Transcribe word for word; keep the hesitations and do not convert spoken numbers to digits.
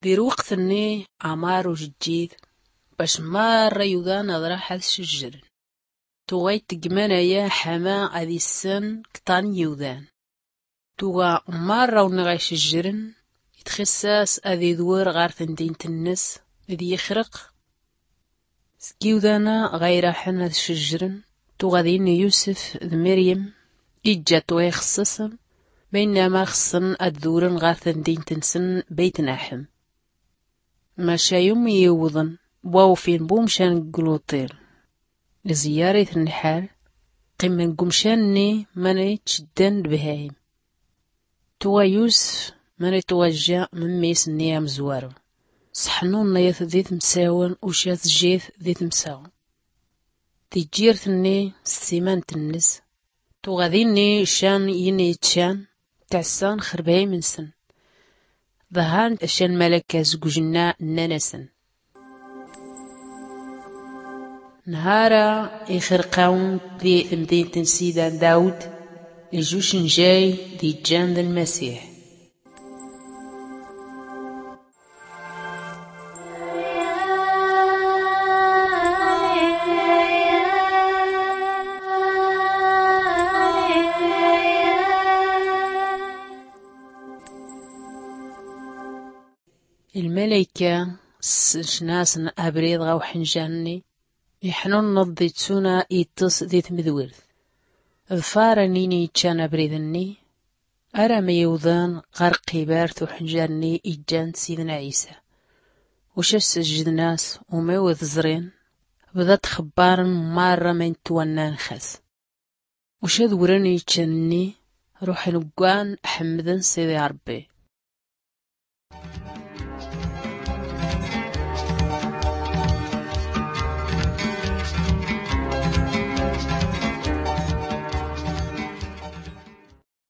Di lweqt-nni ɛmar ujjid bac marra yudan ad-raḥ ad-cejjren. Tuɣa ittegman aya ḥama ad-issen kṭan n-yiwdan. Tuɣa marra ur-nɣa icejjren, itxis-as ad-idwer ɣar temdint-nnes d-yixreq. Seg-iwdan-a ɣa iraḥen ad-cejjren, tuɣa din yusef d-miryem, ijja-t wa ixeṣṣaṣen, baynama xeṣṣen ad-dwren ɣar temdint-nsen bayt-naḥem. Maca yumi-iwḍen wa ufin bumcan deg luṭil, iẓeyyaṛ-iten lḥal, qqimen deg umcan-nni mani ttceddan d-bhayim. Tuɣa yusef mani tuɣa jja memmi-s-nni amezwaru, sḥnunna-yat di temsawen uca tejja-t di temsaw. Tijjirt-nni s-tsimant-nnes, tuɣa dinni can yini-ittcan, tɛessan xer bhayim-nsen. Ḍhan can malaka zeg ujenna nnan-asen, nhara ixerq-awen di temdint n-sidan dawed, ijj-ucenjay d-ijjan d-lmasiḥ. Lmalayka s-cna-asen abrid ɣa uḥenjan-nni, iḥnunneḍ d-ittuna iṭṭes di tmedwirt. Ḍfaren ini-iččan abrid-nni, arama iwḍen ɣar qibart uḥenjan-nni ijjan d-sidna ɛisa. Uca s-sejjden-as, uma-w-t-ẓrin, bḍa-t xebbaren marra ma-in-twannan xas. Uca dwren iččan-nni, ruḥen ggwan ḥemmden sidi ṛebbi.